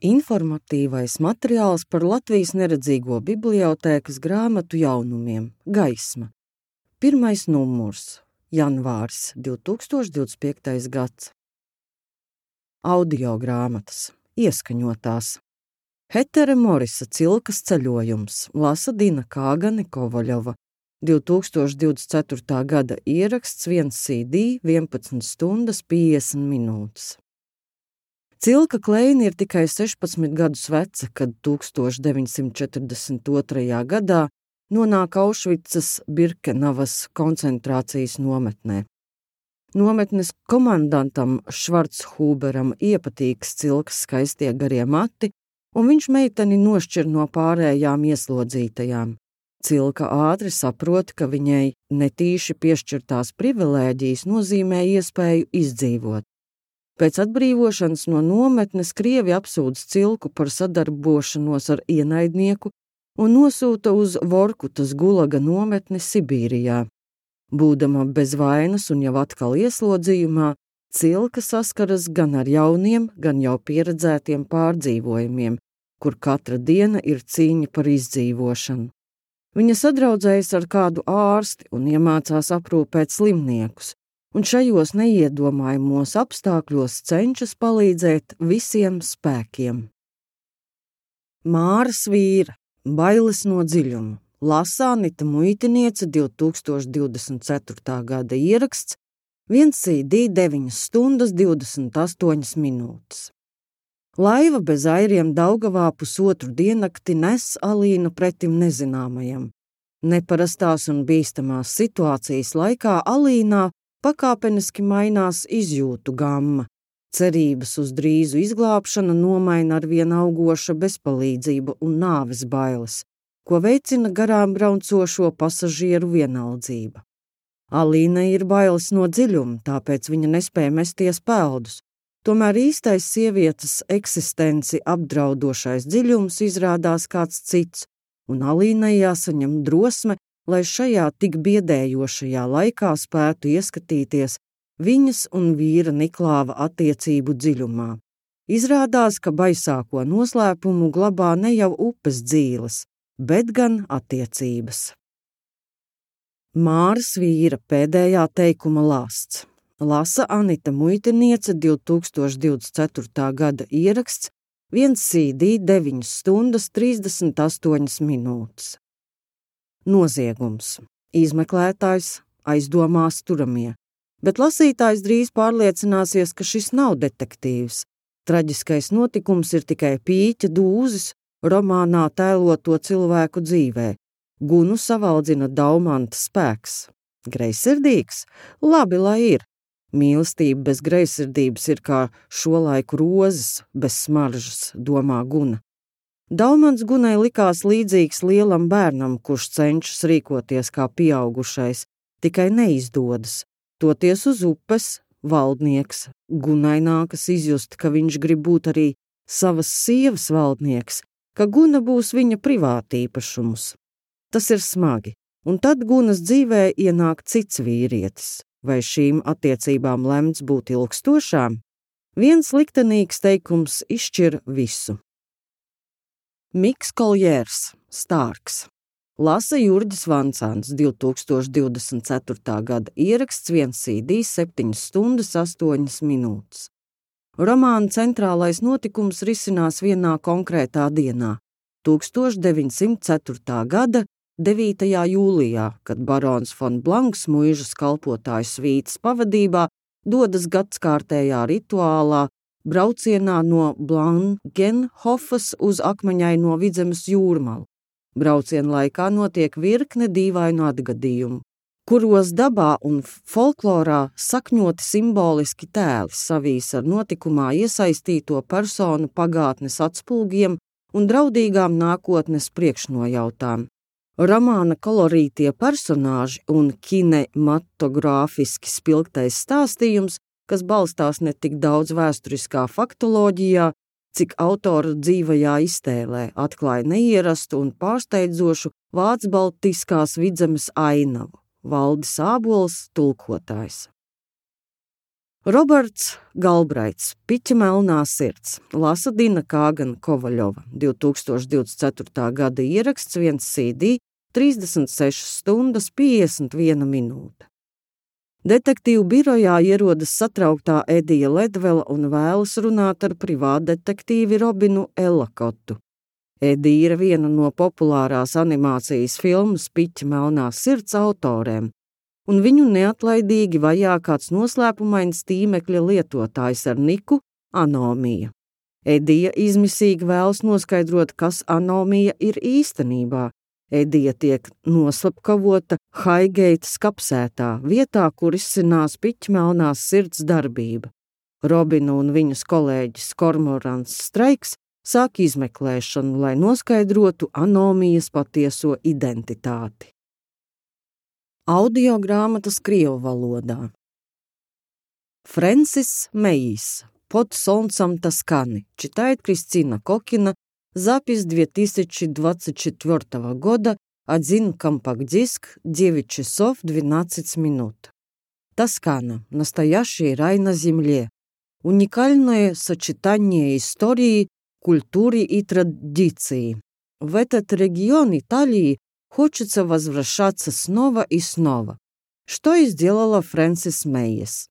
Informatīvais materiāls par Latvijas neredzīgo bibliotēkas grāmatu jaunumiem Gaisma. 1. numurs, janvāris 2025. gads. Audio grāmatas, ieskaņotās. Hetere Morisa Cilkas ceļojums, lasa Dina Kāgane Kovaļova. 2024. gada ieraksts 1 CD, 11 stundas 50 minūtes. Cilka Kleina ir tikai 16 gadus veca, kad 1942. gadā nonāk Aušvicas Birkenavas koncentrācijas nometnē. Nometnes komandantam Švarchuberam iepatīks Cilkas skaistie garie mati, un viņš meiteni nošķir no pārējām ieslodzītajām. Cilka ātri saprot, ka viņai netīši piešķirtās privilēģijas nozīmē iespēju izdzīvot. Pēc atbrīvošanas no nometnes krievi apsūdz Cilku par sadarbošanos ar ienaidnieku un nosūta uz Vorkutas gulaga nometni Sibīrijā. Būdama bez vainas un jau atkal ieslodzījumā, Cilka saskaras gan ar jauniem, gan jau pieredzētiem pārdzīvojumiem, kur katra diena ir cīņa par izdzīvošanu. Viņa sadraudzējas ar kādu ārsti un iemācās aprūpēt slimniekus, un šajos neiedomājumos apstākļos cenšas palīdzēt visiem spēkiem. Māras vīra, bailes no dziļuma, lasa Anita Muitiniece 2024. gada ieraksts 1 CD 9 stundas 28 minūtes. Laiva bez airiem Daugavā pusotru diennakti nes Alīnu pretim nezināmajam. Neparastās un bīstamās situācijas laikā Alīnā pakāpeniski mainās izjūtu gamma. Cerības uz drīzu izglābšanu nomaina arvien augoša bezpalīdzība un nāves bailes, ko veicina garām braucošo pasažieru vienaldzība. Alīnai ir bailes no dziļuma, tāpēc viņa nespēja mesties peldus. Tomēr īstais sievietes eksistenci apdraudošais dziļums izrādās kāds cits, un Alīnai jāsaņem drosme, lai šajā tik biedējošajā laikā spētu ieskatīties viņas un vīra Niklāva attiecību dziļumā. Izrādās, ka baisāko noslēpumu glabā ne jau upes dzīles, bet gan attiecības. Māras vīra pēdējā teikuma lāsts. Lasa Anita Muitiniece 2024. gada ieraksts 1 CD 9 stundas 38 minūtes. Noziegums. Izmeklētājs, aizdomās turamie. Bet lasītājs drīz pārliecināsies, ka šis nav detektīvs. Traģiskais notikums ir tikai pīķa dūzis romānā tēloto cilvēku dzīvē. Gunu savaldzina Daumanta spēks. Greizsirdīgs? Labi, lai ir. Mīlestība bez greizsirdības ir kā šo laiku rozes bez smaržas, domā Guna. Daumants Gunai likās līdzīgs lielam bērnam, kurš cenšas rīkoties kā pieaugušais, tikai neizdodas. Toties uz upes, valdnieks, Gunai nākas izjust, ka viņš grib būt arī savas sievas valdnieks, ka Guna būs viņa privātīpašums. Tas ir smagi, un tad Gunas dzīvē ienāk cits vīrietis. Vai šīm attiecībām lemts būt ilgstošām? Viens liktenīgs teikums izšķir visu. Miks Koljērs, Stārks. Lasa Jurģis Vancāns 2024. gada ieraksts 1 CD 7 stundas 8 minūtes. Romāna centrālais notikums risinās vienā konkrētā dienā, 1904. gada 9. jūlijā, kad barons von Blanks muižas kalpotāju svītas pavadībā dodas gadskārtējā rituālā braucienā no Blangenhofas uz Akmeņaino Vidzemes jūrmalu. Brauciena laikā notiek virkne dīvainu atgadījumu, kuros dabā un folklorā sakņoti simboliski tēli savīs ar notikumā iesaistīto personu pagātnes atspulgiem un draudīgām nākotnes priekšnojautām. Romāna kolorītie personāži un kinematogrāfiski spilgtais stāstījums, kas balstās ne tik daudz vēsturiskā faktoloģijā, cik autora dzīvajā iztēlē, atklāja neierastu un pārsteidzošu vācu-baltiskās Vidzemes ainavu. Valdis Ābols, tulkotājs. Roberts Galbraits, Piķa melnā sirds, lasa Dina Kāgana Kovaļova, 2024. gada ieraksts, 1 CD, 36 stundas 51 minūte. Detektīvu birojā ierodas satrauktā Edija Ledvela un vēlas runāt ar privātdetektīvi Robinu Ellakotu. Edija ir viena no populārās animācijas filmas Piķa melnā sirds autoriem, un viņu neatlaidīgi vajā kāds noslēpumains tīmekļa lietotājs ar niku Anomija. Edija izmisīgi vēlas noskaidrot, kas Anomija ir īstenībā. Edija tiek noslapkavota Haigeitas kapsētā, vietā, kur izcinās Piķa melnās sirds darbība. Robinu un viņas kolēģis Kormorants Streiks sāk izmeklēšanu, lai noskaidrotu Anomijas patieso identitāti. Audiogrāmatas krievu valodā. Фрэнсис Мейис. Под солнцем Тосканы. Читает Кристина Кокина. Запись 2024 года. 1 компакт-диск. 9 часов 12 минут. Тоскана. Настоящий рай на земле. Уникальное сочетание истории, культуры и традиций. В этот регион Италии хочется возвращаться снова и снова, что и сделала Фрэнсис Мейис.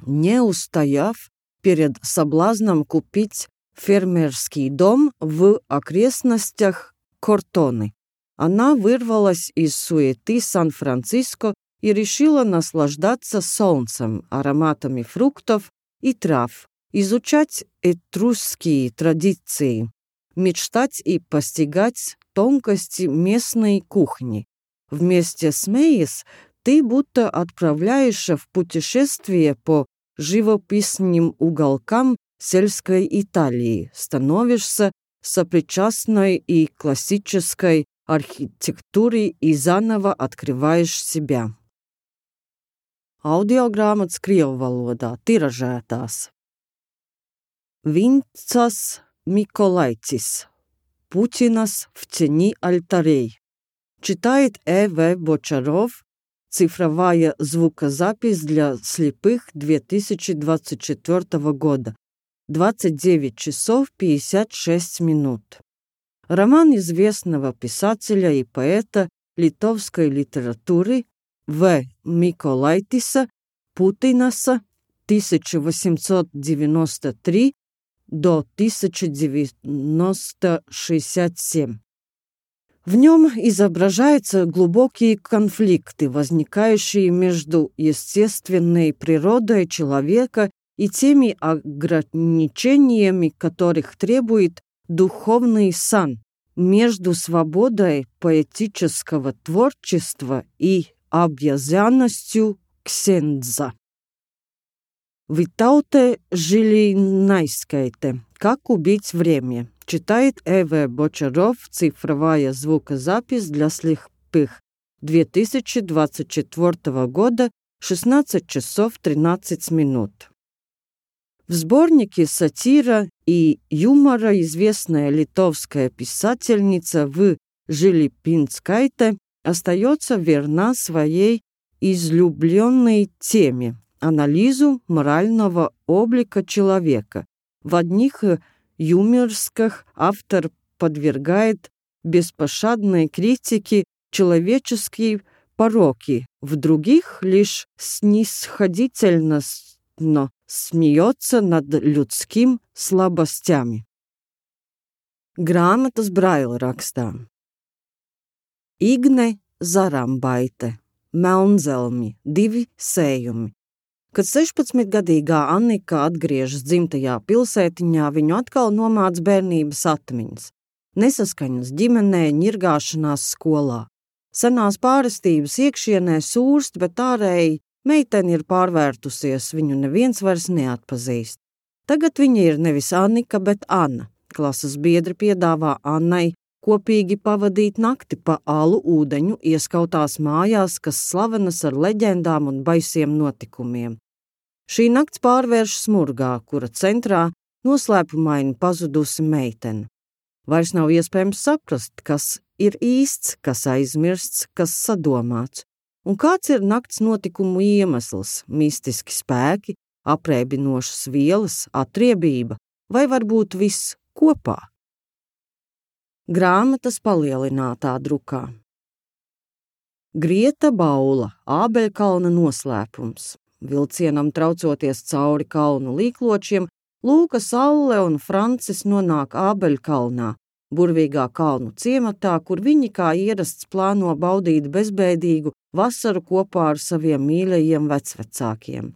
Не устояв перед соблазном купить фермерский дом в окрестностях Кортоны, она вырвалась из суеты Сан-Франциско и решила наслаждаться солнцем, ароматами фруктов и трав, изучать этрусские традиции, мечтать и постигать тонкости местной кухни. Вместе с Мейис ты будто отправляешься в путешествие по живописным уголкам сельской Италии, становишься сопричастной и классической архитектуре и заново открываешь себя. Audiogrāmatas krievu valodā tiražētās. Vincas Миколайцис. Путинас в тени альтарей. Читает Э.В. Бочаров. Цифровая звукозапись для слепых 2024 года. 29 часов 56 минут. Роман известного писателя и поэта литовской литературы В. Миколайтиса Путинаса 1893 до 1967. В нем изображаются глубокие конфликты, возникающие между естественной природой человека и теми ограничениями, которых требует духовный сан, между свободой поэтического творчества и обязанностью ксендза. Витауте Жилинайскайте. Как убить время? Читает Э.В. Бочаров. Цифровая звукозапись для слепых. 2024 года. 16 часов 13 минут. В сборнике сатира и юмора известная литовская писательница В. Жилинайскайте остается верна своей излюбленной теме – анализу морального облика человека. В одних юморских автор подвергает беспощадной критике человеческие пороки, в других лишь снисходительно смеется над людским слабостями. Grāmatas braila rakstām. Igne Zarambaite, Melnzelmi, 2 sējumi. Kad 16-gadīgā Annika atgriežas dzimtajā pilsētiņā, viņu atkal nomāc bērnības atmiņas. Nesaskaņas ģimenē, ņirgāšanās skolā. Senās pārestības iekšienē sūrst, bet ārēji meitene ir pārvērtusies, viņu neviens vairs neatpazīst. Tagad viņa ir nevis Annika, bet Anna. Klases biedri piedāvā Annai kopīgi pavadīt nakti pa alu ūdeņu ieskautās mājās, kas slavenas ar leģendām un baisiem notikumiem. Šī nakts pārvērš smurgā, kura centrā noslēpumaini pazudusi meitene. Vairs nav iespējams saprast, kas ir īsts, kas aizmirsts, kas sadomāts, un kāds ir nakts notikumu iemesls, mistiski spēki, Apreibinošas vielas, atriebība vai varbūt viss kopā? Grāmatas palielinātā drukā. Grieta Baula, Ābeļkalna noslēpums. Vilcienam traucoties cauri kalnu līkločiem, Lūka, Saule un Francis nonāk Ābeļkalnā, burvīgā kalnu ciematā, kur viņi kā ierasts plāno baudīt bezbēdīgu vasaru kopā ar saviem mīļajiem vecvecākiem.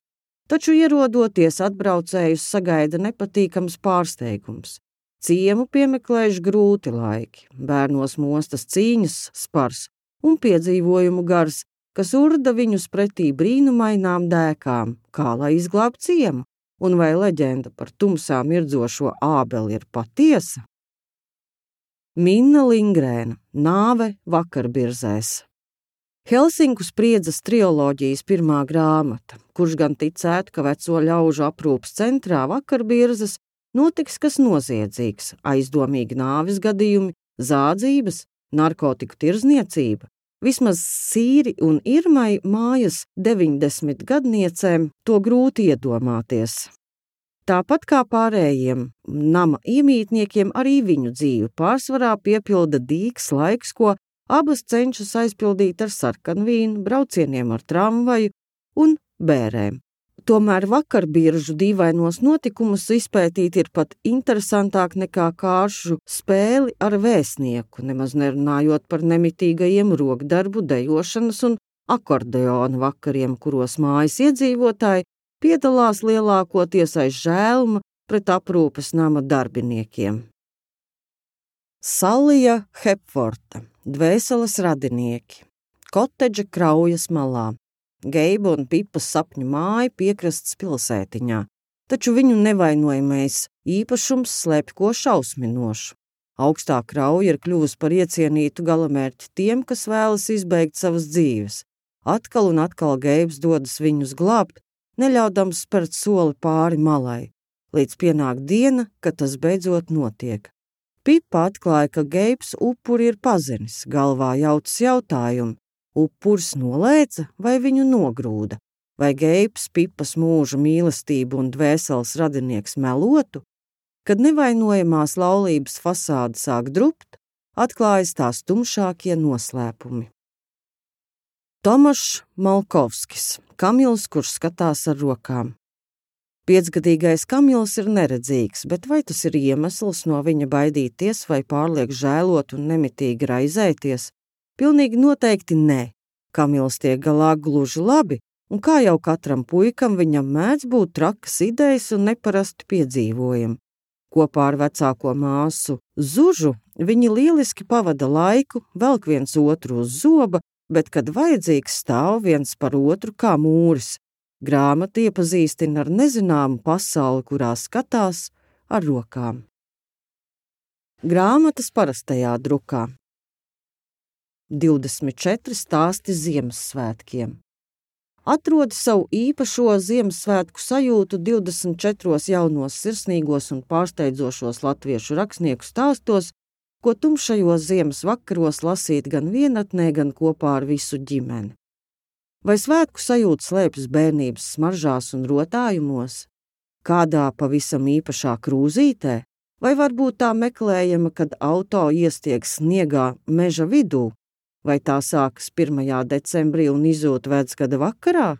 Taču ierodoties atbraucējus sagaida nepatīkams pārsteigums. Ciemu piemeklējuši grūti laiki, bērnos mostas cīņas spars un piedzīvojumu gars, kas urda viņus pretī brīnumainām dēkām, kā lai izglābtu ciemu, un vai leģenda par tumsā mirdzošo ābeli ir patiesa? Minna Lingrēna, Nāve vakarbirzēs. Helsinku spriedzes triloģijas pirmā grāmata, kurš gan ticētu, ka veco ļaužu aprūpes centrā vakarbirzes notiks kas noziedzīgs, aizdomīgi nāves gadījumi, zādzības, narkotiku tirzniecība. Vismaz Sīri un Irmai mājas 90 gadniecēm to grūti iedomāties. Tāpat kā pārējiem nama iemītniekiem, arī viņu dzīvi pārsvarā piepilda dīgs laiks, ko abas cenšas aizpildīt ar sarkanvīnu, braucieniem ar tramvaju un bērēm. Tomēr vakarbiržu dīvainos notikumus izpētīt ir pat interesantāk nekā kāršu spēli ar vēstnieku, nemaz nerunājot par nemitīgajiem rokdarbu, dejošanas un akordeona vakariem, kuros mājas iedzīvotāji piedalās lielākoties aiz žēluma pret aprūpes nama darbiniekiem. Salija Hepforta, Dvēseles radinieki, Kotedža Kraujas malā. Geiba un Pipas sapņu māja piekrastes pilsētiņā, taču viņu nevainojamais īpašums slēpj ko šausminošu. Augstā Krauja ir kļuvusi par iecienītu galamērķi tiem, kas vēlas izbeigt savas dzīves. Atkal un atkal Geibs dodas viņus glābt, neļaudams spērt soli pāri malai, līdz pienāk diena, kad tas beidzot notiek. Pipa atklāja, ka Geibs upuri ir pazinis, galvā jautas jautājumu. Upuris nolēca vai viņu nogrūda, vai Geibs Pipas mūža mīlestību un dvēseles radinieks melotu, kad nevainojamās laulības fasāde sāk drupt, atklājas tās tumšākie noslēpumi. Tomašs Malkovskis, Kamils, kurš skatās ar rokām. 5-gadīgais Kamils ir neredzīgs, bet vai tas ir iemesls no viņa baidīties vai pārliek žēlot un nemitīgi raizēties? Pilnīgi noteikti nē. Kamils tiek galā gluži labi, un kā jau katram puikam viņam mēdz būt trakas idejas un neparasti piedzīvojumi. Kopā ar vecāko māsu Zužu viņi lieliski pavada laiku, velk viens otru uz zoba, bet, kad vajadzīgs, stāv viens par otru kā mūris. Grāmata iepazīstina ar nezināmu pasauli, kurā skatās ar rokām. Grāmatas parastajā drukā. 24 stāsti Ziemassvētkiem. Atrodi savu īpašo Ziemassvētku sajūtu 24 jaunos sirsnīgos un pārsteidzošos latviešu rakstnieku stāstos, ko tumšajos ziemas vakaros lasīt gan vienatnē, gan kopā ar visu ģimeni. Vai svētku sajūta slēpjas bērnības smaržās un rotājumos? Kādā pavisam īpašā krūzītē? Vai varbūt tā meklējama, kad auto iestieg sniegā meža vidū? Vai tā sākas 1. decembrī un izzūd vecgada vakarā?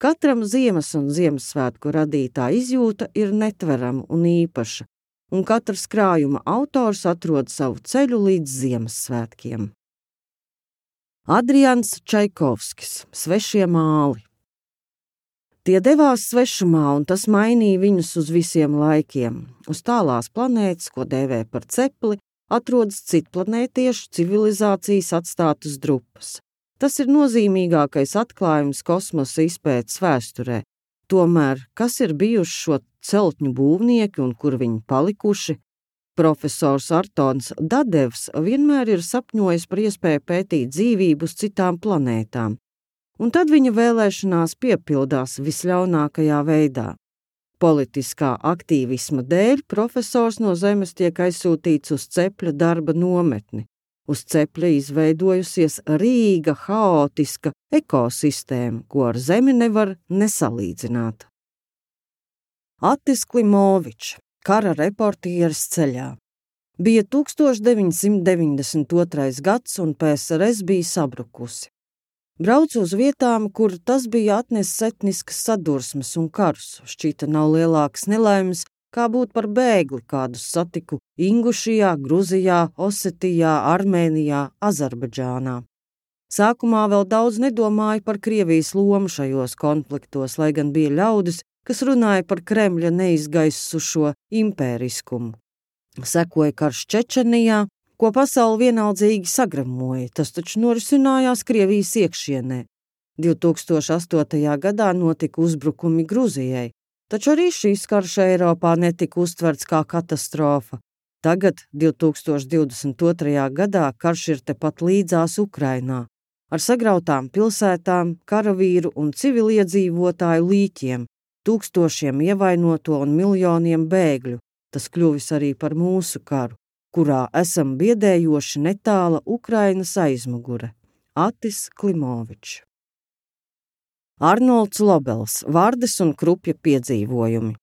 Katram ziemas un Ziemassvētku radītā izjūta ir netverama un īpaša, un katrs krājuma autors atrod savu ceļu līdz Ziemassvētkiem. Adrians Čaikovskis, Svešie māli. Tie devās svešumā, un tas mainīja viņus uz visiem laikiem. Uz tālās planētas, ko dēvē par cepli, atrodas citplanētiešu civilizācijas atstātas drupas. Tas ir nozīmīgākais atklājums kosmosa izpētes vēsturē. Tomēr, kas ir bijuši šo celtņu būvnieki un kur viņi palikuši? Profesors Artons Dadevs vienmēr ir sapņojis par iespēju pētīt dzīvību uz citām planētām, un tad viņa vēlēšanās piepildās visļaunākajā veidā. Politiskā aktīvisma dēļ profesors no Zemes tiek aizsūtīts uz cepļa darba nometni. Uz cepļa izveidojusies rīga, haotiska ekosistēma, ko ar Zemi nevar nesalīdzināt. Attis Klimovičs, kara reportieris ceļā. Bija 1992. gads un PSRS bija sabrukusi. Braucu uz vietām, kur tas bija atnesis etniskas sadursmes un karus. Šķita nav lielākas nelaimes, kā būt par bēgli, kādus satiku Ingušijā, Gruzijā, Osetijā, Armēnijā, Azerbaidžānā. Sākumā vēl daudz nedomāju par Krievijas lomu šajos konfliktos, lai gan bija ļaudis, kas runāja par Kremļa neizgaisušo impēriskumu. Sekoja karš Čečenijā, ko pasauli vienaldzīgi sagramoja, tas taču norisinājās Krievijas iekšienē. 2008. gadā notika uzbrukumi Gruzijai, taču arī šīs karš Eiropā netika uztverts kā katastrofa. Tagad, 2022. gadā, karš ir tepat līdzās Ukrainā, ar sagrautām pilsētām, karavīru un civiliedzīvotāju līķiem, tūkstošiem ievainoto un miljoniem bēgļu. Tas kļuvis arī par mūsu karu, kurā esam biedējoši netāla Ukrainas aizmugure. Attis Klimovičs. Arnolds Lobels, Vardes un Krupja piedzīvojumi.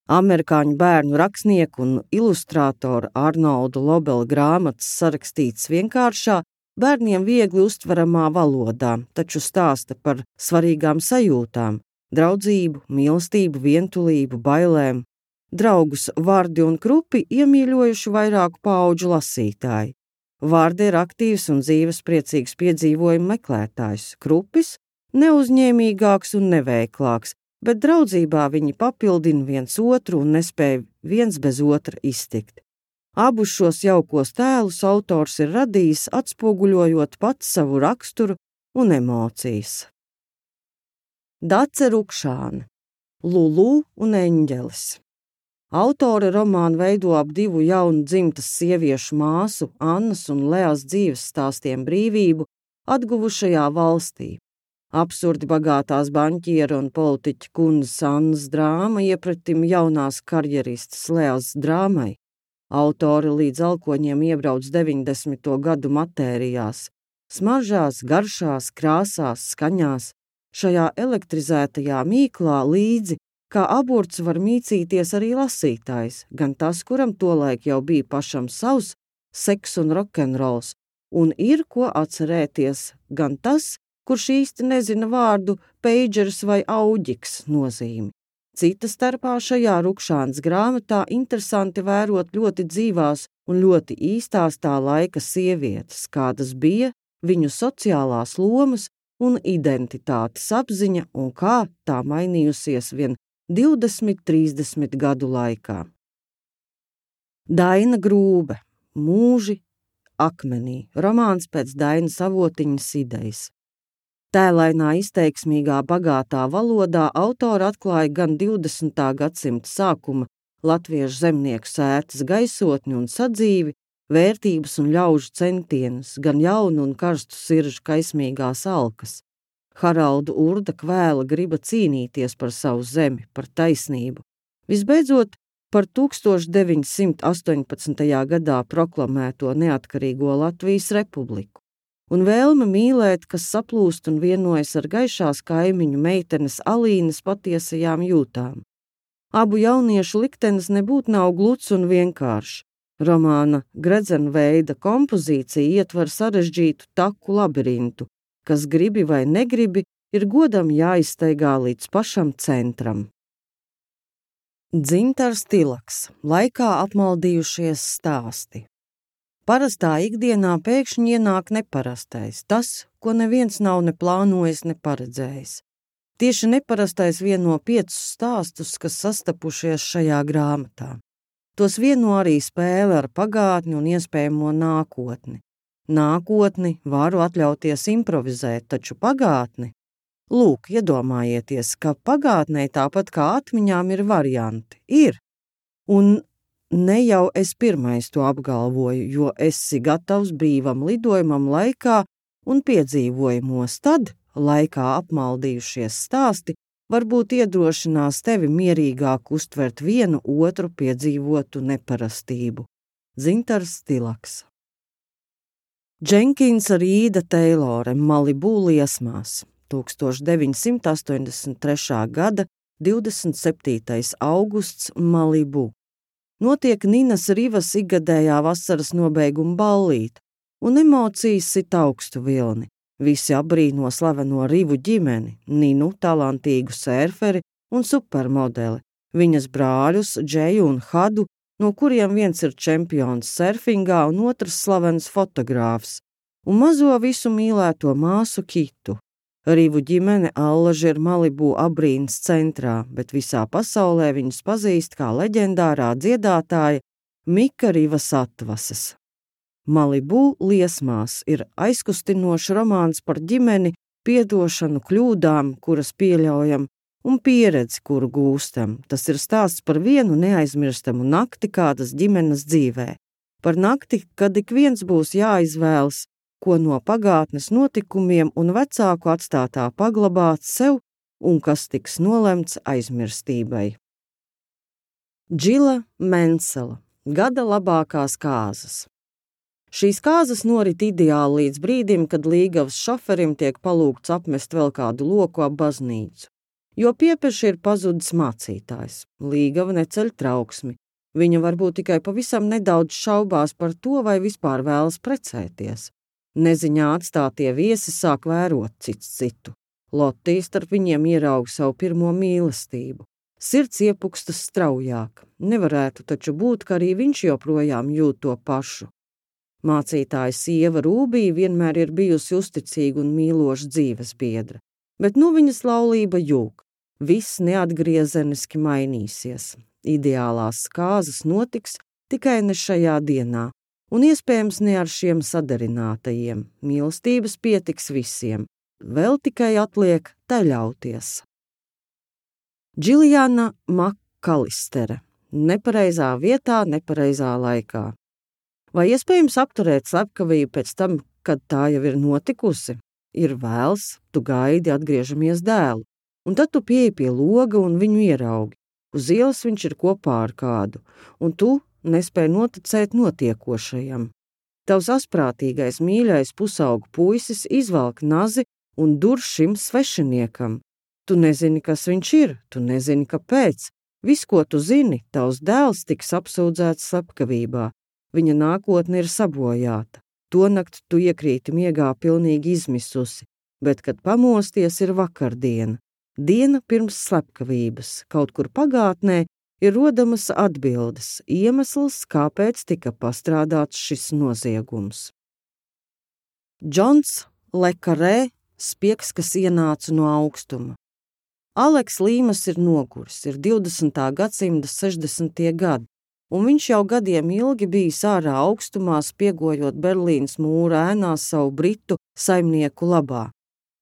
Amerikāņu bērnu rakstnieku un ilustrātoru Arnolda Lobela grāmatas sarakstīts vienkāršā, bērniem viegli uztveramā valodā, taču stāsta par svarīgām sajūtām, draudzību, mīlestību, vientulību, bailēm. Draugus Vardi un Krupi iemīļojuši vairāku paudžu lasītāji. Vardi ir aktīvs un dzīves priecīgs piedzīvojumu meklētājs, Krupis neuzņēmīgāks un neveiklāks, bet draudzībā viņi papildina viens otru un nespēja viens bez otra iztikt. Abus šos jaukos tēlus autors ir radījis, atspoguļojot pats savu raksturu un emocijas. Dace Rukšāne, Lulu un eņģelis. Autore romānu veido ap divu jaunu dzimtas sieviešu māsu, Annas un Leas dzīves stāstiem brīvību atguvušajā valstī. Absurdi bagātās baņķiera un politiķa kundzes Annas drāma iepratim jaunās karjeristas Leas drāmai. Autori līdz alkoņiem iebrauc 90. gadu matērijās, smaržās, garšās, krāsās, skaņās. Šajā elektrizētajā mīklā līdzi kā aburts var mīcīties arī lasītājs, gan tas, kuram tolaik jau bija pašam savs seks un rokenrols, un ir ko atcerēties, gan tas, kurš īsti nezina vārdu peidžers vai auģiks nozīmi. Cita starpā šajā Rukšānas grāmatā interesanti vērot ļoti dzīvās un ļoti īstās tā laika sievietes, kādas bija viņu sociālās lomas un identitātes apziņa un kā tā mainījusies vien 20–30 gadu laikā. Daina Grūbe, Mūži akmenī, romāns pēc Dainas Avotiņas idejas. Tēlainā, izteiksmīgā, bagātā valodā autora atklāja gan 20. gadsimta sākuma latviešu zemnieku sētas gaisotni un sadzīvi, vērtības un ļaužu centienus, gan jaunu un karstu siržu kaismīgās alkas. Haralda Urda kvēla griba cīnīties par savu zemi, par taisnību. Visbeidzot, par 1918. gadā proklamēto neatkarīgo Latvijas republiku. Un vēlme mīlēt, kas saplūst un vienojas ar gaišās kaimiņu meitenes Alīnas patiesajām jūtām. Abu jauniešu liktenis nebūtu nav gluds un vienkāršs. Romāna gredzenveida kompozīcija ietver sarežģītu taku labirintu, kas gribi vai negribi, ir godam jāizstaigā līdz pašam centram. Dzintars Tilaks, laikā apmaldījušies stāsti. Parastā ikdienā pēkšņi ienāk neparastais, tas, ko neviens nav ne plānojis, ne paredzējis. Tieši neparastais vieno 5 stāstus, kas sastapušies šajā grāmatā. Tos vieno arī spēle ar pagātni un iespējamo nākotni. Nākotni varu atļauties improvizēt, taču pagātni? Lūk, iedomājieties, ka pagātnē tāpat kā atmiņām ir varianti. Ir. Un ne jau es pirmais to apgalvoju, jo esi gatavs brīvam lidojumam laikā un piedzīvojumos, tad laikā apmaldījušies stāsti varbūt iedrošinās tevi mierīgāk uztvert vienu otru piedzīvotu neparastību. Dzintars Tilaks. Dženkinsa Rīda Teilore, Malibu liesmās, 1983. gada 27. augusts Malibu. Notiek Ninas Rivas ikgadējā vasaras nobeiguma ballīte, un emocijas sit augstu vilni. Visi apbrīno slaveno Rivu ģimeni, Ninu, talantīgu sērferi un supermodeli, viņas brāļus Džeju un Hadu, no kuriem viens ir čempions surfingā un otrs slavens fotogrāfs, un mazo visu mīlēto māsu Kitu. Rivu ģimene allaži ir Malibu apbrīnas centrā, bet visā pasaulē viņus pazīst kā leģendārā dziedātāja Mika Rivas atvases. Malibu liesmās ir aizkustinošs romāns par ģimeni, piedošanu kļūdām, kuras pieļaujam, un pieredzi, kuru gūstam. Tas ir stāsts par vienu neaizmirstamu nakti kādas ģimenes dzīvē. Par nakti, kad ik viens būs jāizvēlas, ko no pagātnes notikumiem un vecāku atstātā paglabāt sev un kas tiks nolemts aizmirstībai. Džila Mensela – gada labākās kāzas. Šīs kāzas norit ideāli līdz brīdim, kad līgavas šoferim tiek palūgts apmest vēl kādu loku ap baznīcu. Jo piepeši ir pazudis mācītājs. Līgava neceļ trauksmi. Viņa varbūt tikai pavisam nedaudz šaubās par to, vai vispār vēlas precēties. Neziņā atstātie viesi sāk vērot cits citu. Lotija starp viņiem ierauga savu pirmo mīlestību. Sirds iepukstas straujāk. Nevarētu taču būt, ka arī viņš joprojām jūt to pašu. Mācītāja sieva Rūbija vienmēr ir bijusi uzticīga un mīloša dzīves biedra, bet nu viņas laulība jūg. Viss neatgriezeniski mainīsies. Ideālās kāzas notiks tikai ne šajā dienā. Un iespējams ne ar šiem sadarinātajiem. Mīlestības pietiks visiem. Vēl tikai atliek ļauties. Džiljana Makalistere. Nepareizā vietā, nepareizā laikā. Vai iespējams apturēt slepkavību pēc tam, kad tā jau ir notikusi? Ir vēls, tu gaidi, atgriežamies dēlu. Un tad tu pieeji pie loga un viņu ieraugi. Uz ielas viņš ir kopā ar kādu, un tu nespēja noticēt notiekošajam. Tavs asprātīgais mīļais pusaugu puisis izvelk nazi un dur šim svešiniekam. Tu nezini, kas viņš ir, tu nezini, kāpēc. Viss, ko tu zini, tavs dēls tiks apsūdzēts slepkavībā. Viņa nākotne ir sabojāta. Tonakt tu iekrīti miegā pilnīgi izmisusi, bet, kad pamosties, ir vakardiena. Diena pirms slepkavības, kaut kur pagātnē, ir rodamas atbildes, iemesls, kāpēc tika pastrādāts šis noziegums. Džons Le Carré – spiegs, kas ienāca no augstuma. Aleks Līmas ir noguris, ir 20. gadsimta 60. gadi, un viņš jau gadiem ilgi bijis ārā augstumā, spiegojot Berlīnas mūra ēnās savu britu saimnieku labā.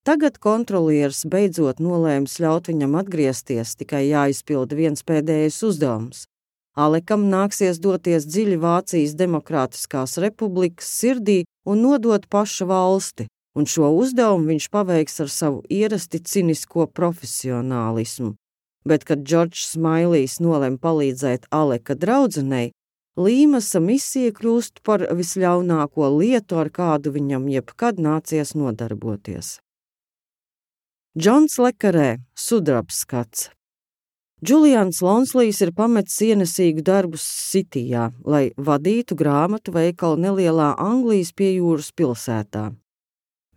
Tagad kontrolieris beidzot nolēms ļaut viņam atgriezties, tikai jāizpilda viens pēdējais uzdevums. Alekam nāksies doties dziļi Vācijas Demokrātiskās republikas sirdī un nodot pašu valsti, un šo uzdevumu viņš paveiks ar savu ierasti cinisko profesionālismu. Bet, kad Džordžs Smailijs nolem palīdzēt Aleka draudzenei, Līmasa misija kļūst par visļaunāko lietu, ar kādu viņam jebkad nācies nodarboties. Džons Le Carré – sudrabskats. Džulians Lonslijs ir pametis ienesīgu darbu Sitijā, lai vadītu grāmatu veikalu nelielā Anglijas piejūras pilsētā.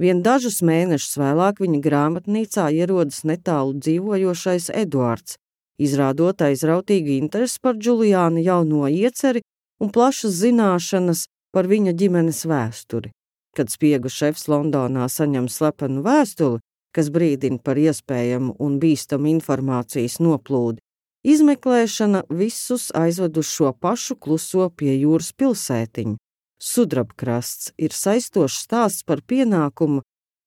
Vien dažus mēnešus vēlāk viņa grāmatnīcā ierodas netālu dzīvojošais Eduards, izrādot aizrautīgu interesi par Džuliāna jauno ieceri un plašas zināšanas par viņa ģimenes vēsturi. Kad spiegu šefs Londonā saņem slepenu vēstuli, kas brīdina par iespējamu un bīstamu informācijas noplūdi, izmeklēšana visus aizved uz šo pašu kluso pie jūras pilsētiņu. Sudrabkrasts ir saistošs stāsts par pienākumu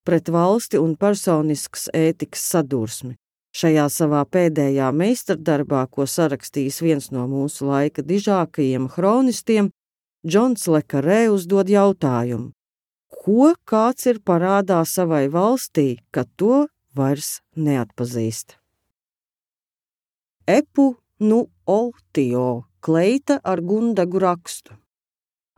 pret valsti un personiskas ētikas sadursmi. Šajā savā pēdējā meistardarbā, ko sarakstījis viens no mūsu laika dižākajiem hronistiem, Džons Le Carré uzdod jautājumu: ko kāds ir parādā savai valstī, kad to vairs neatpazīst? Epu nu Otio, kleita ar gundagu rakstu.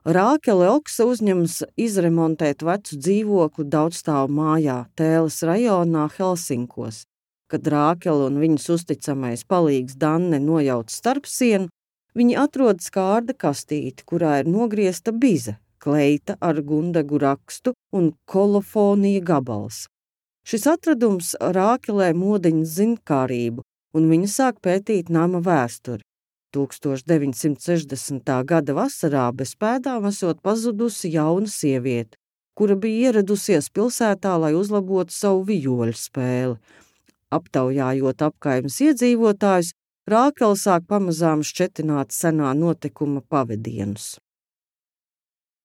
Rākele Oksa uzņemas izremontēt vecu dzīvokli daudzstāvu mājā Tēles rajonā Helsinkos. Kad Rākele un viņas uzticamais palīgs Danne nojauc starpsienu, viņi atrod skārda kastīti, kurā ir nogriezta bize, kleita ar gundegu rakstu un kolofonija gabals. Šis atradums Rākelē modiņa zinkārību, un viņa sāk pētīt nama vēsturi. 1960. gada vasarā bez pēdām esot pazudusi jauna sieviete, kura bija ieradusies pilsētā, lai uzlabotu savu vijoļu spēli. Aptaujājot apkaimes iedzīvotājus, Rākele sāk pamazām šķetināt senā notikuma pavadienus.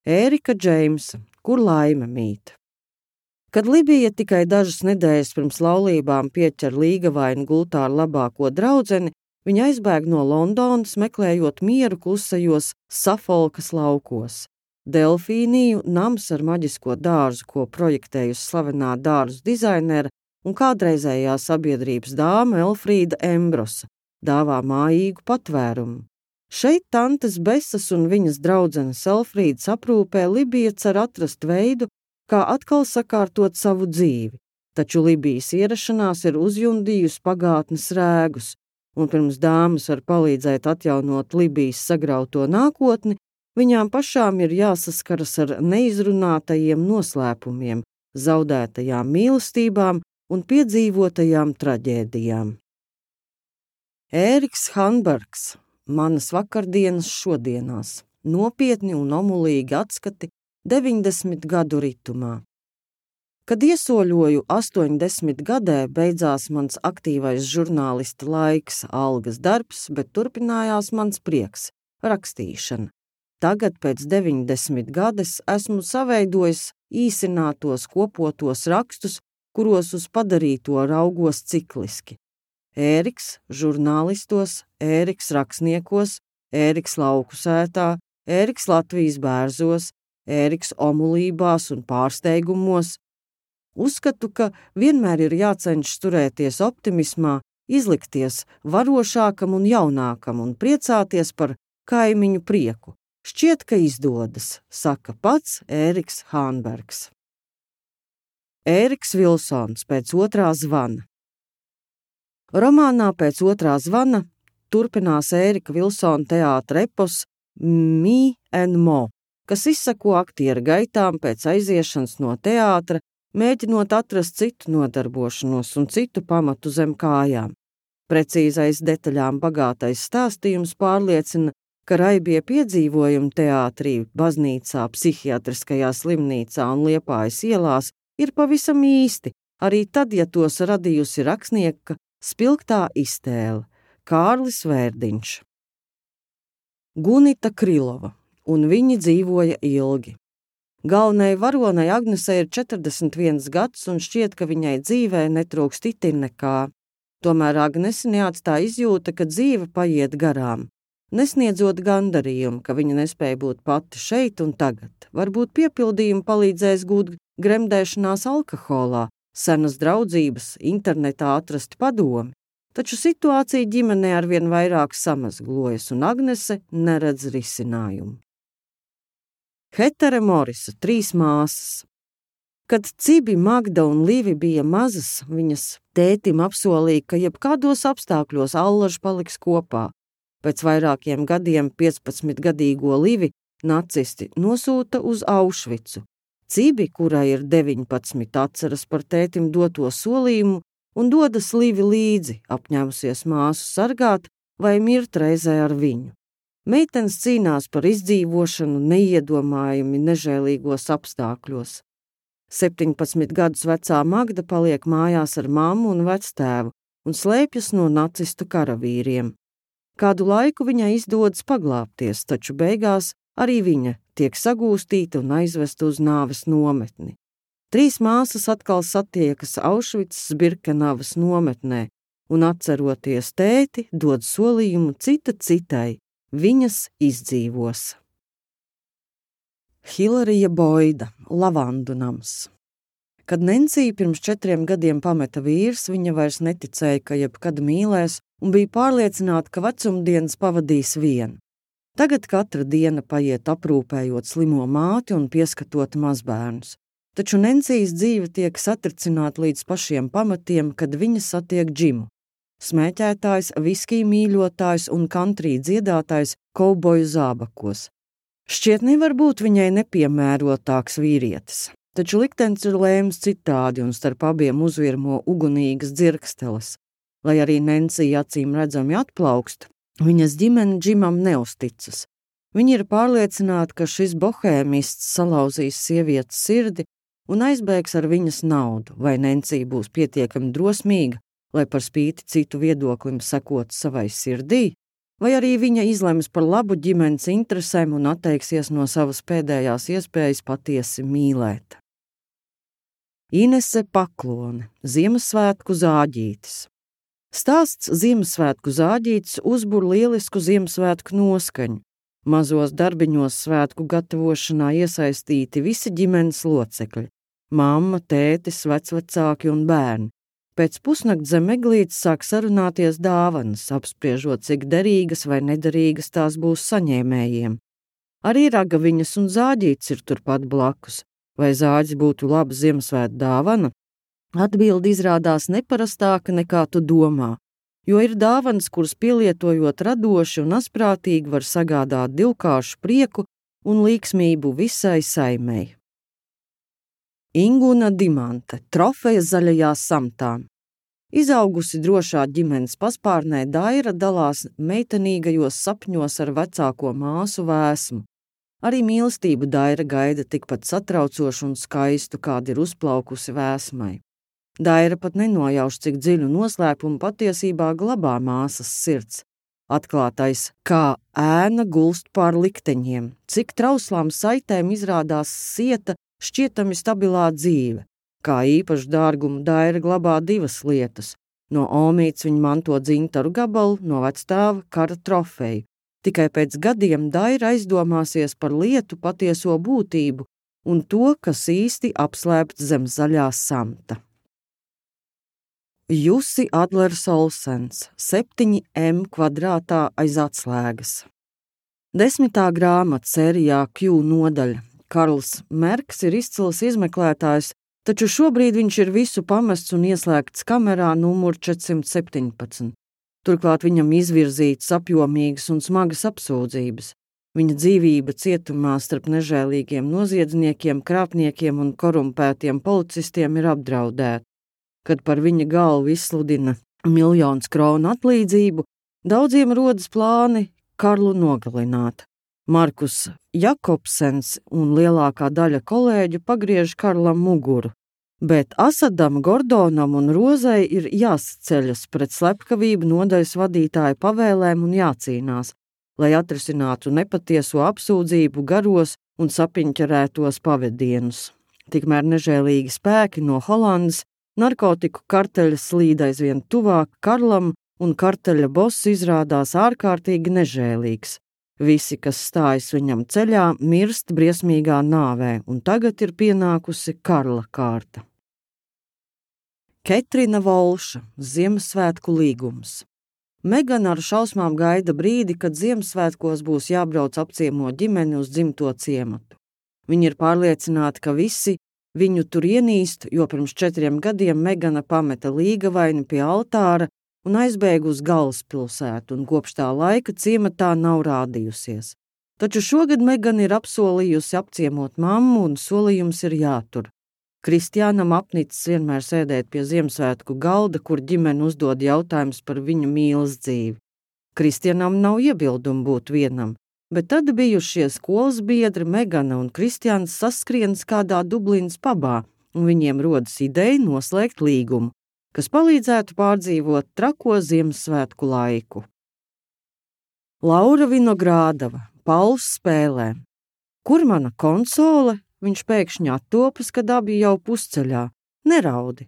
Ērika Džeimsa, kur laime mīt. Kad Libija tikai dažas nedēļas pirms laulībām pieķer līgavainu gultā ar labāko draudzeni, viņa aizbēg no Londonas, meklējot mieru klusajos Safolkas laukos. Delfīniju nams ar maģisko dārzu, ko projektējusi slavenā dārzu dizainera un kādreizējā sabiedrības dāma Elfrīda Embrosa, dāvā mājīgu patvērumu. Šeit tantes Besas un viņas draudzenes Elfrīdas aprūpē Libija cer atrast veidu, kā atkal sakārtot savu dzīvi, taču Libijas ierašanās ir uzjundījusi pagātnes rēgus, un pirms dāmas var palīdzēt atjaunot Libijas sagrauto nākotni, viņām pašām ir jāsaskaras ar neizrunātajiem noslēpumiem, zaudētajām mīlestībām un piedzīvotajām traģēdijām. Ēriks Hanbergs, manas vakardienas šodienās, nopietni un omulīgi atskati 90 gadu ritumā. Kad iesoļoju 80 gadē, beidzās mans aktīvais žurnālista laiks, algas darbs, bet turpinājās mans prieks – rakstīšana. Tagad pēc 90 gadas esmu saveidojis īsinātos kopotos rakstus, kuros uz padarīto raugos cikliski. Ēriks žurnālistos, Ēriks rakstniekos, Ēriks lauku sētā, Ēriks Latvijas bērzos, Ēriks omulībās un pārsteigumos. Uzskatu, ka vienmēr ir jācenšas turēties optimismā, izlikties varošākam un jaunākam un priecāties par kaimiņu prieku. Šķiet, ka izdodas, saka pats Ēriks Hanbergs. Ēriks Vilsons pēc otrā zvana. Romānā Pēc otrā zvana turpinās Ērika Vilsona teātra epos Me and Mo, kas izsako aktieru gaitām pēc aiziešanas no teātra, mēģinot atrast citu nodarbošanos un citu pamatu zem kājām. Precīzais detaļām bagātais stāstījums pārliecina, ka raibie piedzīvojumi teātrī, baznīcā, psihiatriskajā slimnīcā un Liepājas ielās ir pavisam īsti, arī tad, ja tos radījusi rakstnieka spilgtā iztēle Kārlis Vērdiņš. Gunita Krylova, un viņi dzīvoja ilgi. Galvenai varonai Agnesei ir 41 gads un šķiet, ka viņai dzīvē netrūkst itin nekā. Tomēr Agnesi neatstāja izjūta, ka dzīve paiet garām, nesniedzot gandarījumu, ka viņa nespēja būt pati šeit un tagad. Varbūt piepildījumu palīdzēs gūt gremdēšanās alkoholā, senas draudzības, internetā atrasti padomi, taču situācija ģimenē arvien vairāk samazglojas un Agnese neredz risinājumu. Hetere Morisa, 3 māsas. Kad Cibi, Magda un Livi bija mazas, viņas tētim apsolīja, ka jebkādos apstākļos allaži paliks kopā. Pēc vairākiem gadiem 15-gadīgo Livi nacisti nosūta uz Aušvicu. Cibi, kurai ir 19, atceras par tētim doto solījumu un dodas Livi līdzi, apņēmusies māsu sargāt vai mirt reizē ar viņu. Meitenes cīnās par izdzīvošanu neiedomājami nežēlīgos apstākļos. 17 gadus vecā Magda paliek mājās ar mammu un vectēvu un slēpjas no nacistu karavīriem. Kādu laiku viņai izdodas paglābties, taču beigās arī viņa tiek sagūstīta un aizvesta uz nāves nometni. 3 māsas atkal satiekas Aušvicas Birkenavas nometnē un, atceroties tēti, dod solījumu cita citai, viņas izdzīvos. Hilarija Boida, Lavandu nams. Kad Nencija pirms 4 gadiem pameta vīrs, viņa vairs neticēja, ka jebkad mīlēs un bija pārliecināta, ka vecumdienas pavadīs vien. Tagad katra diena paiet aprūpējot slimo māti un pieskatot mazbērnus. taču Nencijas dzīve tiek satricināta līdz pašiem pamatiem, kad viņa satiek Džimu. Smēķētājs, viskija mīļotājs un kantrī dziedātājs kauboju zābakos. Šķiet nevar būt viņai nepiemērotāks vīrietis, taču liktenis ir lēms citādi un starp abiem uzvirmo ugunīgas dzirksteles. Lai arī Nencija acīm redzami atplaukst, viņas ģimene Džimam neusticas. Viņi ir pārliecināti, ka šis bohēmists salauzīs sievietes sirdi un aizbēgs ar viņas naudu, vai Nencija būs pietiekami drosmīga, lai par spīti citu viedoklim sekot savai sirdī, vai arī viņa izlems par labu ģimenes interesēm un atteiksies no savas pēdējās iespējas patiesi mīlēt. Inese Paklone, Ziemassvētku zāģītis. Stāsts Ziemassvētku zāģītis uzbur lielisku Ziemassvētku noskaņu. Mazos darbiņos svētku gatavošanā iesaistīti visi ģimenes locekļi – mamma, tētis, vecvecāki un bērni. Pēc pusnakts zem eglītes sāk sarunāties dāvanas, apspriežot, cik derīgas vai nederīgas tās būs saņēmējiem. Arī ragaviņas un zāģītis ir turpat blakus. Vai zāģis būtu laba Ziemassvētku dāvana? Atbilde izrādās neparastāka nekā tu domā, jo ir dāvanas, kuras pielietojot radoši un asprātīgi var sagādāt divkāršu prieku un līksmību visai saimei. Inguna Dimante, trofeja zaļajā samtā. Izaugusi drošā ģimenes paspārnē, Daira dalās meitenīgajos sapņos ar vecāko māsu Vēsmu. Arī mīlestību Daira gaida tikpat satraucošu un skaistu, kāda ir uzplaukusi Vēsmai. Daira pat nenojauš, cik dziļu noslēpumu patiesībā glabā māsas sirds. Atklātais, kā ēna gulst pār likteņiem, cik trauslām saitēm izrādās sieta šķietami stabilā dzīve. Kā īpašu dārgumu Daira glabā divas lietas. No omītes viņa manto dzintaru gabalu, no vectēva kara trofeju. Tikai pēc gadiem Daira aizdomāsies par lietu patieso būtību un to, kas īsti apslēpts zem zaļā samta. Jussi Adlers Olsens, 7M kvadrātā aiz atslēgas. 10. grāmata sērijā Q nodaļa. Karls Merks ir izcils izmeklētājs, taču šobrīd viņš ir visu pamests un ieslēgts kamerā numur 417. Turklāt viņam izvirzītas apjomīgas un smagas apsūdzības. Viņa dzīvība cietumā starp nežēlīgiem noziedzniekiem, krāpniekiem un korumpētiem policistiem ir apdraudēta. Kad par viņa galvu izsludina 1 000 000 kronu atlīdzību, daudziem rodas plāni Karlu nogalināt. Markus Jakobsens un lielākā daļa kolēģu pagriež Karlam muguru, bet Asadam, Gordonam un Rozai ir jāsaceļas pret slepkavību nodaļas vadītāja pavēlēm un jācīnās, lai atrisinātu nepatieso apsūdzību garos un sapiņķerētos pavedienus. Tikmēr nežēlīgi spēki no Holandas narkotiku karteļa slīd aizvien tuvāk Karlam, un karteļa boss izrādās ārkārtīgi nežēlīgs. Visi, kas stājas viņam ceļā, mirst briesmīgā nāvē, un tagad ir pienākusi Karla kārta. Ketrina Volša, Ziemassvētku līgums. Megana ar šausmām gaida brīdi, kad Ziemassvētkos būs jābrauc apciemot ģimeni uz dzimto ciematu. Viņi ir pārliecināti, ka visi viņu tur ienīst, jo pirms 4 gadiem Megana pameta līgavaini pie altāra un aizbēga uz galvaspilsētu, un kopš tā laika ciematā nav rādījusies. Taču šogad Megana ir apsolījusi apciemot mammu, un solījums ir jātur. Kristiānam apnicis vienmēr sēdēt pie Ziemassvētku galda, kur ģimene uzdod jautājumus par viņu mīlas dzīvi. Kristiānam nav iebildumu būt vienam, bet tad bijušie skolas biedri Megana un Kristiāns saskrienas kādā Dublinas pabā, un viņiem rodas ideja noslēgt līgumu, kas palīdzētu pārdzīvot trako Ziemassvētku laiku. Laura Vinogrādava, Pauls spēlē. Kur mana konsole? Viņš pēkšņi attopas, kad abi jau pusceļā. Neraudi.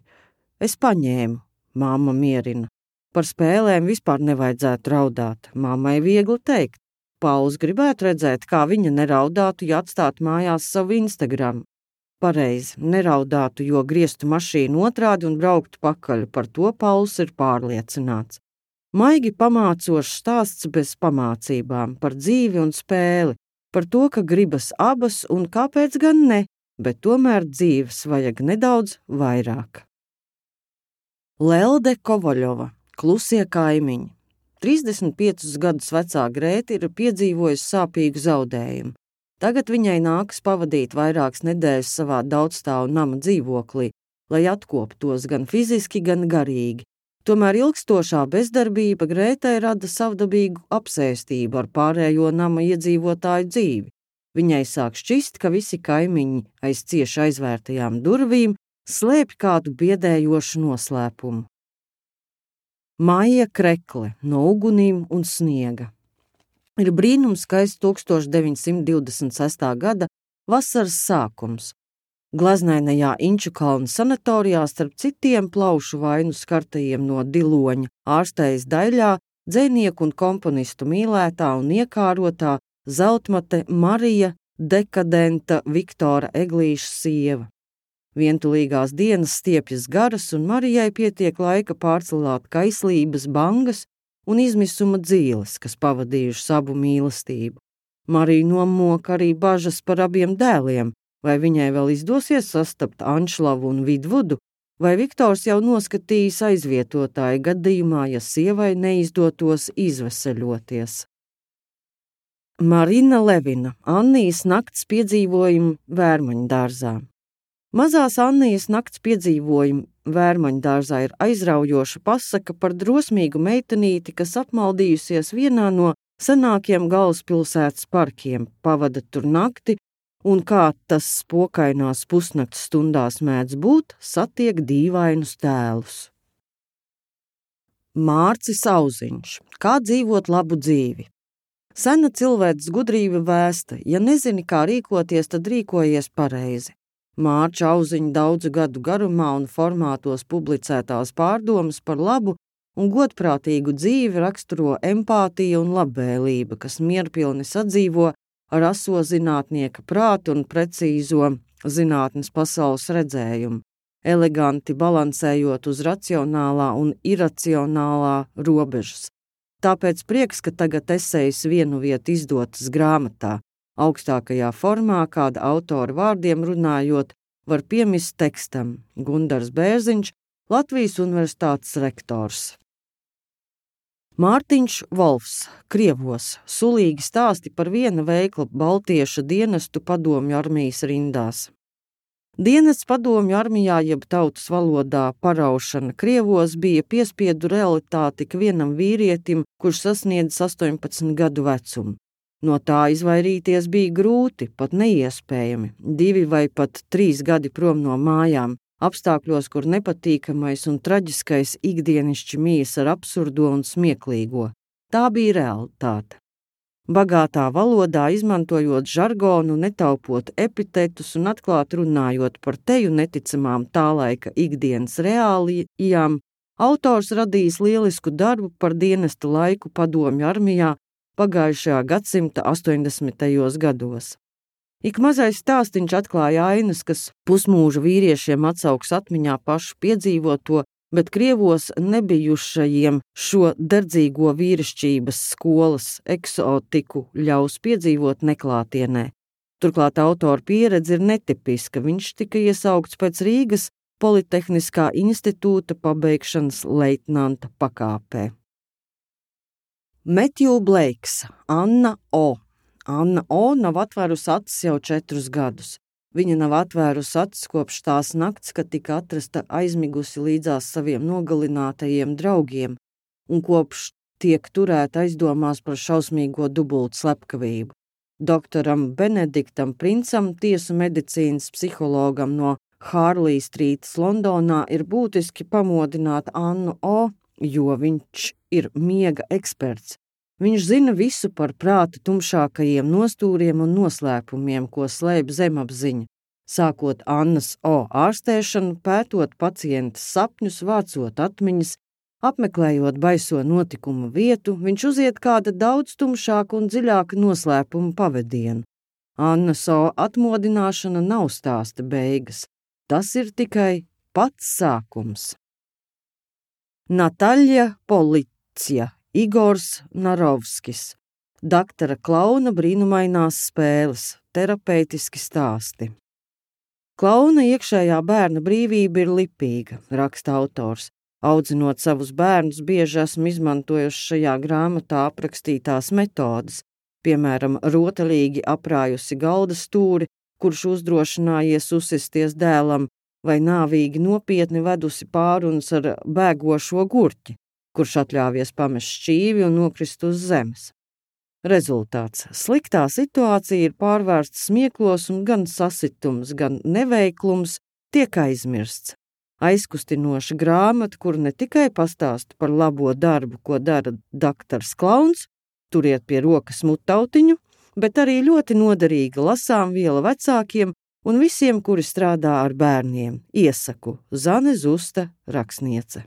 Es paņēmu. Mamma mierina. Par spēlēm vispār nevajadzētu raudāt. Mammai viegli teikt. Pauls gribētu redzēt, kā viņa neraudātu, ja atstātu mājās savu Instagram. Pareizi, neraudātu, jo grieztu mašīnu otrādi un brauktu pakaļ. Par to Pauls ir pārliecināts. Maigi pamācošs stāsts bez pamācībām, par dzīvi un spēli, par to, ka gribas abas un kāpēc gan ne, bet tomēr dzīves vajag nedaudz vairāk. Lelde Kovaļova, klusie kaimiņi. 35 gadus vecā Grēta ir piedzīvojusi sāpīgu zaudējumu. Tagad viņai nākas pavadīt vairākas nedēļas savā daudzstāvu nama dzīvoklī, lai atkoptos gan fiziski, gan garīgi. Tomēr ilgstošā bezdarbība Grētai rada savdabīgu apsēstību ar pārējo nama iedzīvotāju dzīvi. Viņai sāk šķist, ka visi kaimiņi aiz cieši aizvērtajām durvīm slēpj kādu biedējošu noslēpumu. Maija Krekle no ugunīm un sniega. Ir brīnums skaists 1926. gada vasaras sākums. Glaznainajā Inčukalna sanatorijā starp citiem plaušu vainu skartajiem no Diloņa ārstējas Daļā dzejnieku un komponistu mīlētā un iekārotā zeltmate Marija dekadenta Viktora Eglīša sieva. Vientulīgās dienas stiepjas garas, un Marijai pietiek laika pārcelāt kaislības bangas un izmisuma dzīles, kas pavadījuši savu mīlestību. Mariju nomoka arī bažas par abiem dēliem, vai viņai vēl izdosies sastapt Anšlavu un Vidvudu, vai Viktors jau noskatījis aizvietotāju gadījumā, ja sievai neizdotos izveseļoties. Marina Levina, Annijas nakts piedzīvojumi Vērmaņdārzā. Mazās Annijas nakts piedzīvojumi Vērmaņdārzā ir aizraujoša pasaka par drosmīgu meitenīti, kas apmaldījusies vienā no senākiem galvaspilsētas parkiem, pavada tur nakti un, kā tas spokainās pusnakts stundās mēdz būt, satiek dīvainus tēlus. Mārcis Auziņš. Kā dzīvot labu dzīvi? Sena cilvēces gudrība vēsta, ja nezini, kā rīkoties, tad rīkojies pareizi. Mārča Auziņa daudzu gadu garumā un formātos publicētās pārdomas par labu un godprātīgu dzīvi raksturo empātija un labvēlība, kas mierpilni sadzīvo ar aso zinātnieka prātu un precīzo zinātnes pasaules redzējumu, eleganti balansējot uz racionālā un iracionālā robežas. Tāpēc prieks, ka tagad esejas vienu vietu izdotas grāmatā, augstākajā formā, kāda autora vārdiem runājot, var piemist tekstam Gundars Bērziņš, Latvijas Universitātes rektors. Mārtiņš Volfs, Krievos, sulīgi stāsti par viena veikla baltieša dienestu padomju armijas rindās. Dienests padomju armijā jeb tautas valodā paraušana Krievos bija piespiedu realitāte ik vienam vīrietim, kurš sasniedz 18 gadu vecumu. No tā izvairīties bija grūti, pat neiespējami, 2 vai pat 3 gadi prom no mājām, apstākļos, kur nepatīkamais un traģiskais ikdienišķi mijas ar absurdo un smieklīgo. Tā bija realitāte. Bagātā valodā, izmantojot žargonu, netaupot epitetus un atklāt runājot par teju neticamām tā laika ikdienas reālijām, autors radījis lielisku darbu par dienesta laiku padomju armijā pagājušajā gadsimta 80. gados. Ik mazais stāstiņš atklāja ainas, kas pusmūža vīriešiem atsauks atmiņā pašu piedzīvoto, bet Krievos nebijušajiem šo derdzīgo vīrišķības skolas eksotiku ļaus piedzīvot neklātienē. Turklāt autora pieredze ir netipiska, viņš tika iesaukts pēc Rīgas Politehniskā institūta pabeigšanas leitnanta pakāpē. Metju Bleiks, Anna O. Anna O. nav atvērusi acis jau 4 gadus. Viņa nav atvērusi acis kopš tās nakts, kad tika atrasta aizmigusi līdzās saviem nogalinātajiem draugiem, un kopš tiek turēta aizdomās par šausmīgo dubultu slepkavību. Doktoram Benediktam Princam, tiesu medicīnas psihologam no Hārlī strītas Londonā, ir būtiski pamodināt Annu O., jo viņš ir miega eksperts. Viņš zina visu par prāta tumšākajiem nostūriem un noslēpumiem, ko slēpj zemapziņa, sākot Annas O. ārstēšanu, pētot pacientas sapņus, vācot atmiņas, apmeklējot baiso notikumu vietu, viņš uziet kāda daudz tumšāka un dziļāka noslēpuma pavedienu. Annas O. atmodināšana nav stāsta beigas, tas ir tikai pats sākums. Nataļa Policija, Igors Narovskis, Daktora Klauna brīnumainās spēles, terapeitiski stāsti. Klauna iekšējā bērna brīvība ir lipīga, raksta autors. Audzinot savus bērnus, bieži esmu izmantojuši šajā grāmatā aprakstītās metodes, piemēram, rotaļīgi aprājusi galda stūri, kurš uzdrošinājies uzsisties dēlam, vai nāvīgi nopietni vedusi pārunas ar bēgošo gurķi, kurš atļāvies pamest šķīvi un nokrist uz zemes. Rezultāts – sliktā situācija ir pārvērsta smieklos un gan sasitums, gan neveiklums tiek aizmirsts. Aizkustinoša grāmata, kur ne tikai pastāsta par labo darbu, ko dara daktars Klauns, turiet pie rokas mutautiņu, bet arī ļoti noderīga lasāmviela vecākiem un visiem, kuri strādā ar bērniem. Iesaku Zane Zusta, rakstniece.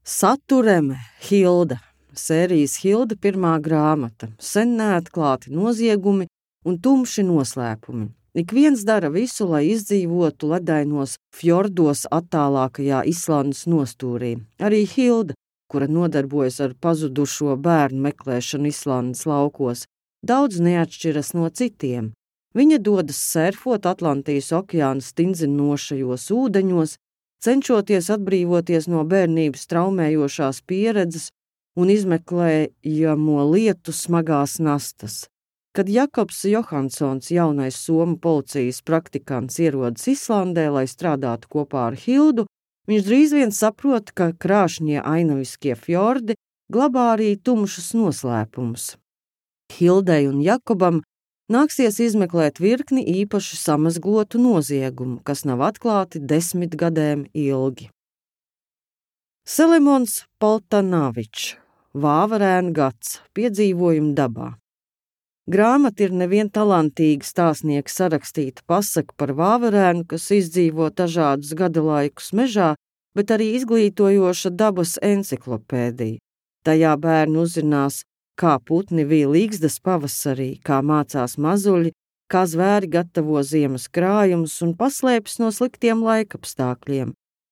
Satureme Hilda. Sērijas Hilda pirmā grāmata. Sen neatklāti noziegumi un tumši noslēpumi. Ik viens dara visu, lai izdzīvotu ledainos fjordos attālākajā Islandes nostūrī. Arī Hilda, kura nodarbojas ar pazudušo bērnu meklēšanu Islandes laukos, daudz neatšķiras no citiem. Viņa dodas surfot Atlantijas okeāna stindzinošajos ūdeņos, cenšoties atbrīvoties no bērnības traumējošās pieredzes un izmeklējamo lietu smagās nastas. Kad Jakobs Johansons, jaunais somu policijas praktikants, ierodas Islandē, lai strādātu kopā ar Hildu, viņš drīz vien saprot, ka krāšņie ainaviskie fjordi glabā arī tumšus noslēpumus. Hildei un Jakobam nāksies izmeklēt virkni īpaši samazglotu noziegumu, kas nav atklāti 10 gadiem ilgi. Selemons Poltanavičs, Vāverēna gads, piedzīvojumi dabā. Grāmata ir nevien talantīga stāstnieka sarakstīta pasaka par vāverēnu, kas izdzīvo dažādus gadalaikus mežā, bet arī izglītojoša dabas enciklopēdija. Tajā bērni uzzinās, kā putni vīja līgzdas pavasarī, kā mācās mazuļi, kā zvēri gatavo ziemas krājumus un paslēpjas no sliktiem laikapstākļiem,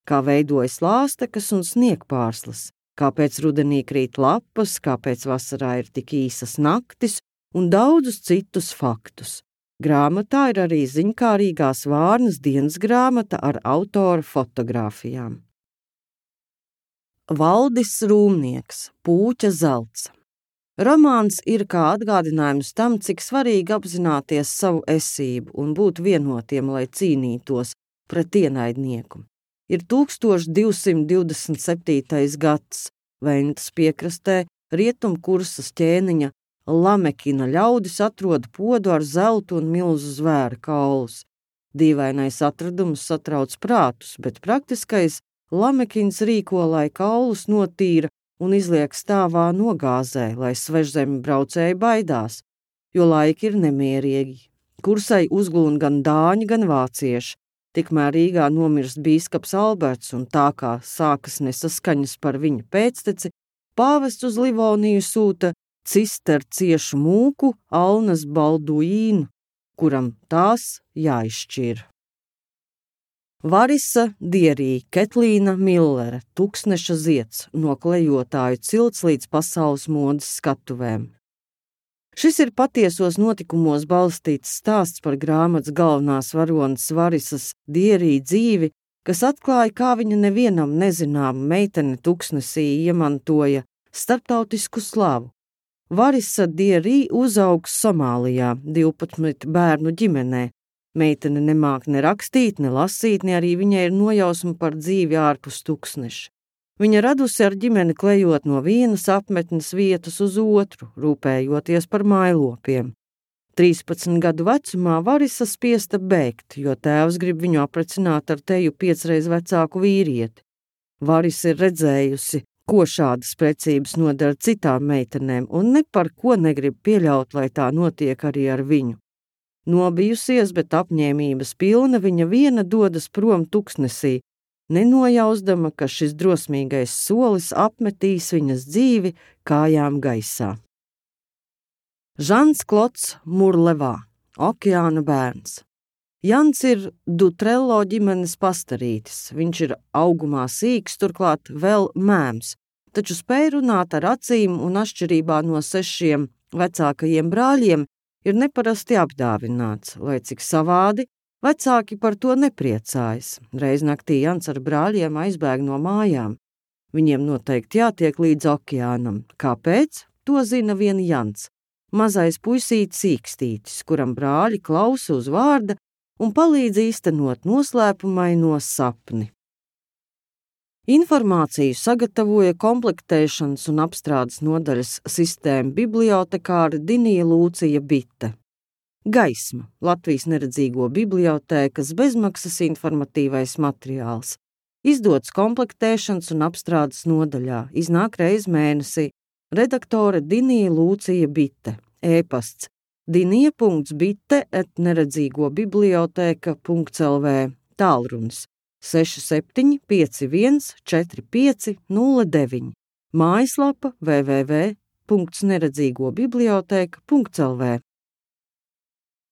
kā veidojas lāstekas un sniegpārslas, kāpēc rudenī krīt lapas, kāpēc vasarā ir tik īsas naktis, un daudzus citus faktus. Grāmatā ir arī ziņkārīgās Vārnas dienas grāmata ar autora fotogrāfijām. Valdis Rūmnieks, Pūķa zelts. Romāns ir kā atgādinājums tam, cik svarīgi apzināties savu esību un būt vienotiem, lai cīnītos pret ienaidnieku. Ir 1227. gads, Ventas piekrastē, Rietumkursas ķēniņa Lamekina ļaudis atrod podu ar zeltu un milzu zvēra kaulus. Dīvainais atradums satrauc prātus, bet praktiskais Lamekins rīko, lai kaulus notīra un izliek stāvā nogāzē, lai svežzemi braucēji baidās, jo laiki ir nemierīgi. Kursai uzglūn gan dāņi, gan vācieši. Tikmēr Rīgā nomirst bīskaps Alberts, un tā kā sākas nesaskaņas par viņa pēcteci, pāvests uz Livoniju sūta cisterciešu mūku Alnas Balduīnu, kuram tās jāizšķir. Varisa Dierī, Ketlīna Millere, Tuksneša zieds, no klejotāju cilts līdz pasaules modes skatuvēm. Šis ir patiesos notikumos balstīts stāsts par grāmatas galvenās varonas Varisas Dierī dzīvi, kas atklāja, kā viņa nevienam nezināma meitene Tuksnesī iemantoja starptautisku slavu. Varisa Dierī uzaugs Somālijā 12 bērnu ģimenē. Meitene nemāk ne rakstīt, ne lasīt, ne arī viņai ir nojausma par dzīvi ārpus Tuksneša. Viņa radusi ar ģimeni klejot no vienas apmetnes vietas uz otru, rūpējoties par mājlopiem. 13 gadu vecumā Varisa spiesta bēgt, jo tēvs grib viņu aprecināt ar teju 5 reiz vecāku vīrieti. Varisa ir redzējusi, ko šādas precības nodara citām meitenēm, un ne par ko negrib pieļaut, lai tā notiek arī ar viņu. Nobijusies, bet apņēmības pilna, viņa viena dodas prom Tuksnesī, nenojausdama, ka šis drosmīgais solis apmetīs viņas dzīvi kājām gaisā. Žans Klods Murlevā, Okeāna bērns. Jans ir Dutrello ģimenes pastarītis. Viņš ir augumā sīks, turklāt vēl mēms, taču spēj runāt ar acīm un atšķirībā no 6 vecākajiem brāļiem ir neparasti apdāvināts, lai cik savādi Vecāki par to nepriecājas. Reiz naktī Jans ar brāļiem aizbēg no mājām. Viņiem noteikti jātiek līdz okeānam. Kāpēc? To zina vien Jans. Mazais puisītis Īkstītis, kuram brāļi klausa uz vārda un palīdz īstenot noslēpumaino sapni. Informāciju sagatavoja komplektēšanas un apstrādes nodaļas sistēma bibliotekāra Dinija Lūcija Bite. Gaisma – Latvijas neredzīgo bibliotēkas bezmaksas informatīvais materiāls. Izdots komplektēšanas un apstrādes nodaļā, iznāk reiz mēnesī. Redaktore Dinija Lūcija Bite. E-pasts dinija.bite@neredzīgobiblioteka.lv. Tālrunis 6751 4509. Mājaslapa www.neredzīgobiblioteka.lv.